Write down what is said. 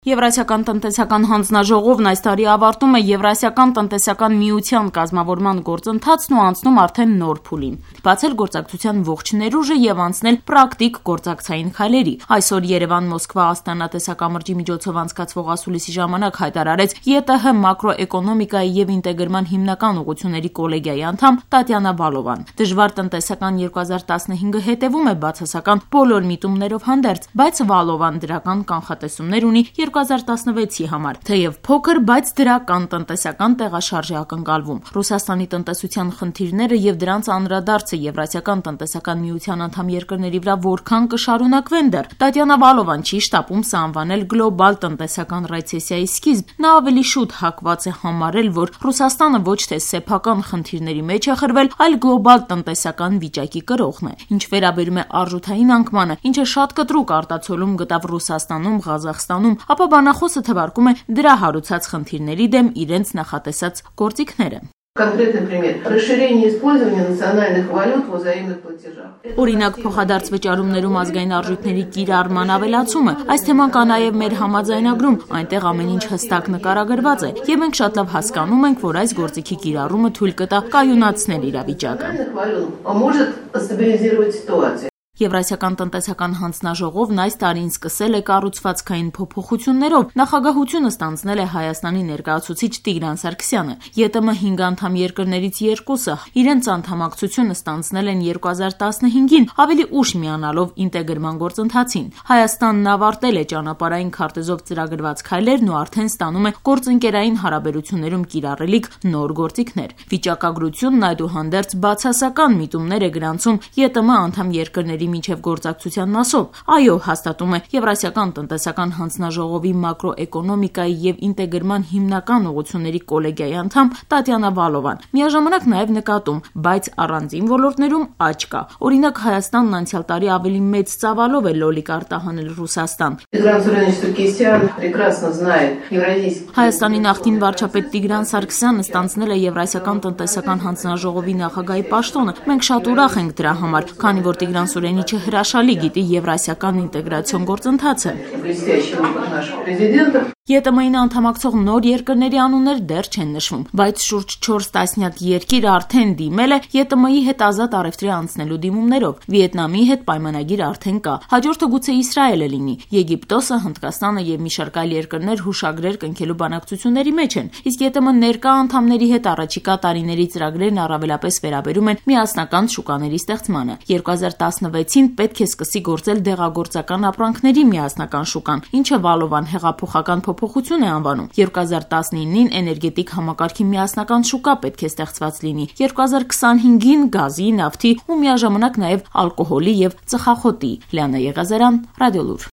Եվրասիական տնտեսական հանձնաժողովն այս տարի ավարտում է Եվրասիական տնտեսական միության կազմավորման գործընթացն ու անցնում արդեն նոր փուլին, բացել գործակցության ողջ ներուժը եւ անցնել պրակտիկ գործակցային քայլերի։ Այսօր Երևան-Մոսկվա-Աստանա տեսակամրջի միջոցով անցկացվող ասուլիսի ժամանակ հայտարարեց ԵՏՀ մակրոէկոնոմիկայի եւ ինտեգրման հիմնական ուղղությունների կոլեգիայի անդամ Տատյանա Վալովան։ Դժվար տնտեսական 2015-ը հետեւում է բացասական բոլոր միտումներով հանդերձ, բայց Վալովան դրական կանխատեսումներ ունի 2016-ի համար, թեև փոքր, բայց դրական տնտեսական տեղաշարժ է ակնկալվում։ Ռուսաստանի տնտեսության խնդիրները եւ դրանց անդրադարձը Եվրասիական տնտեսական միության անդամ երկրների վրա որքան կշարունակվեն դեռ։ Տատյանա Վալովան չի շտապում սա անվանել գլոբալ տնտեսական ռեցեսիայի սկիզբ։ Նա ավելի շուտ հակված է համարել, որ Ռուսաստանը ոչ թե սեփական խնդիրների մեջ է խրվել, այլ գլոբալ տնտեսական վիճակի կրողն է։ Ինչ վերաբերում է արժութային անկմանը, ինչը շատ կտրուկ արտացոլում գտավ Ռուսաստանում, Ղազախստանում, ապա բանախոսը թվարկում է դրա հարուցած խնդիրների դեմ իրենց նախատեսած գործիքները։ Конкретный пример. Расширение использования национальных валют в взаимных платежах. Օրինակ փոխադարձ վճարումներում ազգային արժույթների կիրառման ավելացումը։ Այս թեման կա նաև մեր համաձայնագրում, այնտեղ ամեն ինչ հստակ նկարագրված է, եւ մենք շատ լավ հասկանում ենք, որ այս գործիքի կիրառումը թույլ կտա կայունացնել իրավիճակը։ Եվրասիական տնտեսական հանձնաժողովն այս տարին սկսել է կառուցվածքային փոփոխություններով։ Նախագահությունը ստանձնել է Հայաստանի ներկայացուցիչ Տիգրան Սարգսյանը։ ԵՏՄ 5 անդամ երկրներից երկուսը իրենց անդամակցությունը ստանձնել են 2015-ին, ավելի ուշ միանալով ինտեգրման գործընթացին։ Հայաստանն ավարտել է ճանապարհային քարտեզով ծրագրված քայլերն ու արդեն ստանում է գործընկերային հարաբերություններում կիրառելիք նոր գործիքներ։ Վիճակագրությունն այդուհանդերձ բացասական միտումներ է գրանցում ԵՏՄ անդամ երկրների միջև գործակցության մասով։ Այո, հաստատում է Եվրասիական տնտեսական հանձնաժողովի մակրոէկոնոմիկայի եւ ինտեգրման հիմնական ուղղությունների կոլեգիայի անդամ Տատյանա Վալովան։ Միաժամանակ նաև նկատում, բայց առանձին ոլորտներում աճ կա։ Օրինակ Հայաստանն անցյալ տարի ավելի մեծ ծավալով է լոլիկ արտահանել Ռուսաստան։ Հայաստանի նախկին վարչապետ Տիգրան Սարգսյանը ստանձնել է Եվրասիական տնտեսական հանձնաժողովի նախագահի պաշտոնը։ Մենք շատ ուրախ ենք դրա համար, քանի որ Տիգրան Սուրենիչը հրաշալի գիտի եվրասիական ինտեգրացիոն գործընթացը։ ԵՏՄ-ին անդամակցող նոր երկրների անուններ դեռ չեն նշվում, բայց շուրջ 4 տասնյակ երկիր արդեն դիմել է ԵՏՄ-ի հետ ազատ առևտրի անցնելու դիմումներով։ Վիետնամի հետ պայմանագիր արդեն կա։ Հաջորդը գուցե Իսրայելը լինի։ Եգիպտոսը, Հնդկաստանը եւ մի շարք այլ երկրներ հուշագրեր կնքելու բանակցությունների մեջ են։ Իսկ ԵՏՄ ներկա անդամների հետ առաջիկա տարիների ծրագրերն առավելապես վերաբերում են միասնական շուկաների ստեղծմանը։ 2016-ին պետք է սկսի գործել դեղագործական ապրանքների միասնական շուկան, ինչը Վալովան հեղափոխական փոփոխություն է անվանում։ 2019-ին էներգետիկ համակարգի միասնական շուկա պետք է ստեղծված լինի։ 2025-ին գազի, նավթի ու միաժամանակ նաև ալկոհոլի եւ ծխախոտի։ Լիանա Եղազարյան, Ռադիոլուր։